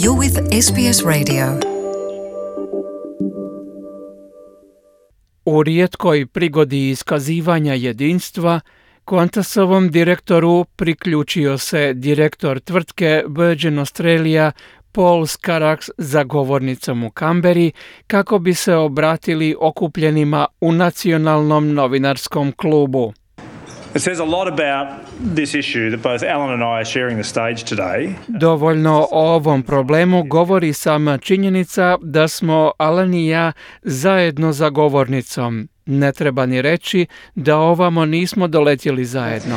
You're with SBS Radio. U rijetkoj prigodi iskazivanja jedinstva, Qantasovom direktoru priključio se direktor tvrtke Virgin Australia Paul Scarrax za govornicom u Kamberi kako bi se obratili okupljenima u Nacionalnom novinarskom klubu. It says a lot about this issue that both Alan and I are sharing the stage today. Dovoljno o ovom problemu govori sama činjenica da smo Alan i ja zajedno za govornicom. Ne treba ni reći da ovamo nismo doletjeli zajedno.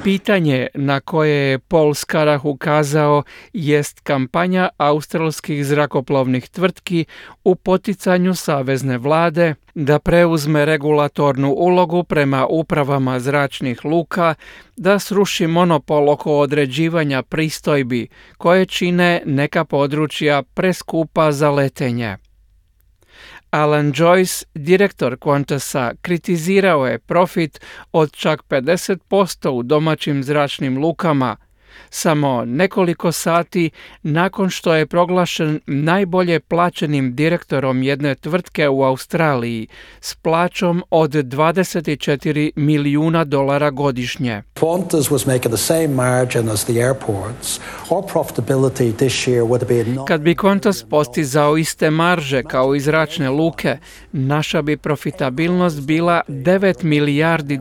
Pitanje na koje je Paul Scarrax ukazao jest kampanja australskih zrakoplovnih tvrtki u poticanju savezne vlade da preuzme regulatornu ulogu prema upravama zračnih luka, da sruši monopol oko određivanja pristojbi koje čine neka područja preskupa za letenje. Alan Joyce, direktor Qantasa, kritizirao je profit od čak 50% u domaćim zračnim lukama, samo nekoliko sati nakon što je proglašen najbolje plaćenim direktorom jedne tvrtke u Australiji s plaćom od $24 milijuna godišnje. Qantas was making the same margin as the airports. Our profitability this year would have been Kad bi Qantas postizao iste marže kao i zračne luke, naša bi profitabilnost bila $9 milijardi.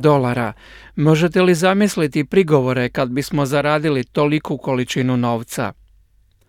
Možete li zamisliti prigovore kad bismo zaradili toliku količinu novca?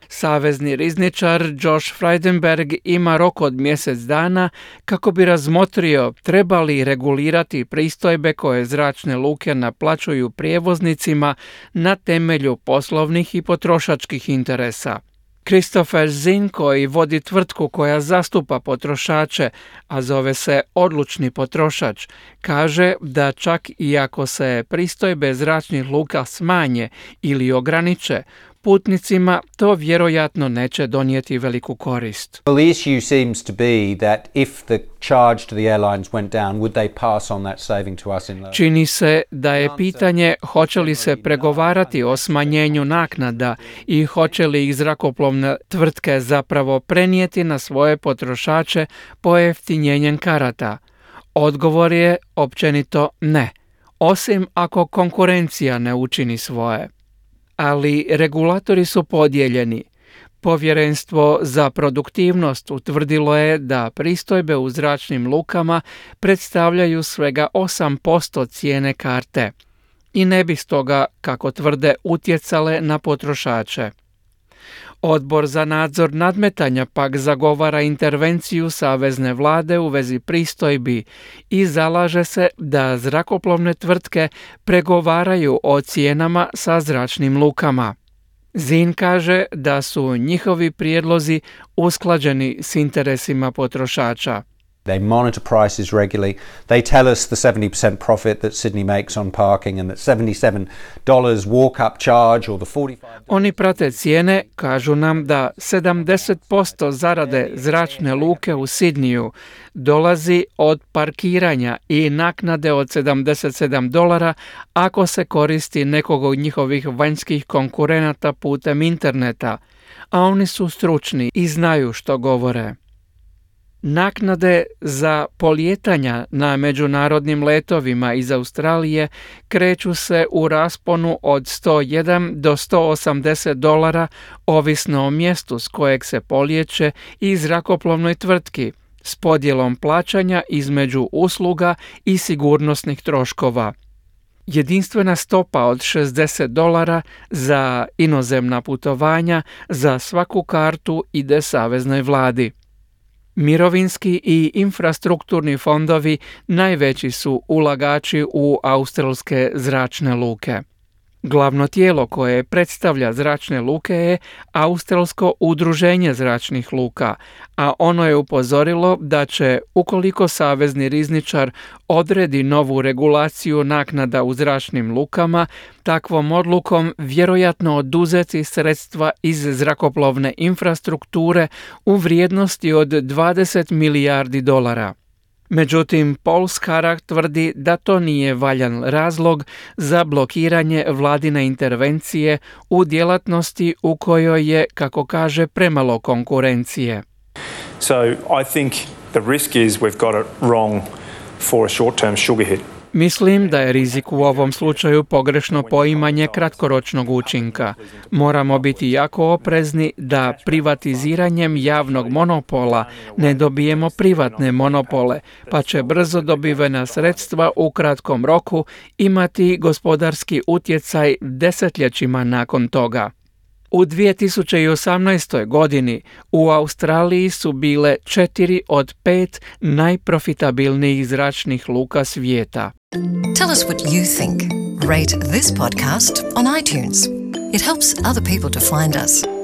Savezni rizničar Josh Frydenberg ima rok od mjesec dana kako bi razmotrio treba li regulirati pristojbe koje zračne luke naplaćuju prijevoznicima na temelju poslovnih i potrošačkih interesa. Christopher Zinn, koji vodi tvrtku koja zastupa potrošače, a zove se Odlučni potrošač, kaže da čak i ako se pristojbe zračnih luka smanje ili ograniče, putnicima to vjerojatno neće donijeti veliku korist. Well, the issue seems to be that if the charge to the airlines went down, would they pass on that saving to us in lower? Čini se da je pitanje hoće li se pregovarati o smanjenju naknada i hoće li ih zrakoplovne tvrtke zapravo prenijeti na svoje potrošače pojeftinjenjem karata. Odgovor je općenito ne, osim ako konkurencija ne učini svoje. Ali regulatori su podijeljeni. Povjerenstvo za produktivnost utvrdilo je da pristojbe u zračnim lukama predstavljaju svega 8% cijene karte i ne bi stoga, kako tvrde, utjecale na potrošače. Odbor za nadzor nadmetanja pak zagovara intervenciju savezne vlade u vezi pristojbi i zalaže se da zrakoplovne tvrtke pregovaraju o cijenama sa zračnim lukama. Zinn kaže da su njihovi prijedlozi usklađeni s interesima potrošača. They monitor prices regularly. They tell us the 70% profit that Sydney makes on parking and that $77 walk-up charge or the 45... Oni prate cijene, kažu nam da 70% zarade zračne luke u Sidniju dolazi od parkiranja i naknade od $77 ako se koristi nekog od njihovih vanjskih konkurenata putem interneta, a oni su stručni i znaju što govore. Naknade za polijetanja na međunarodnim letovima iz Australije kreću se u rasponu od $101 do $180, ovisno o mjestu s kojeg se polijeće i zrakoplovnoj tvrtki, s podjelom plaćanja između usluga i sigurnosnih troškova. Jedinstvena stopa od $60 za inozemna putovanja za svaku kartu ide saveznoj vladi. Mirovinski i infrastrukturni fondovi najveći su ulagači u australske zračne luke. Glavno tijelo koje predstavlja zračne luke je Australsko udruženje zračnih luka, a ono je upozorilo da će, ukoliko savezni rizničar odredi novu regulaciju naknada u zračnim lukama, takvom odlukom vjerojatno oduzeti sredstva iz zrakoplovne infrastrukture u vrijednosti od $20 milijardi. Međutim, Paul Skarrak tvrdi da to nije valjan razlog za blokiranje vladine intervencije u djelatnosti u kojoj je, kako kaže, premalo konkurencije. So I think the risk is we've got it wrong for a short-term sugar hit. Mislim da je rizik u ovom slučaju pogrešno poimanje kratkoročnog učinka. Moramo biti jako oprezni da privatiziranjem javnog monopola ne dobijemo privatne monopole, pa će brzo dobivena sredstva u kratkom roku imati gospodarski utjecaj desetljećima nakon toga. U 2018. godini u Australiji su bile 4 od 5 najprofitabilnijih zračnih luka svijeta. Tell us what you think. Rate this podcast on iTunes. It helps other people to find us.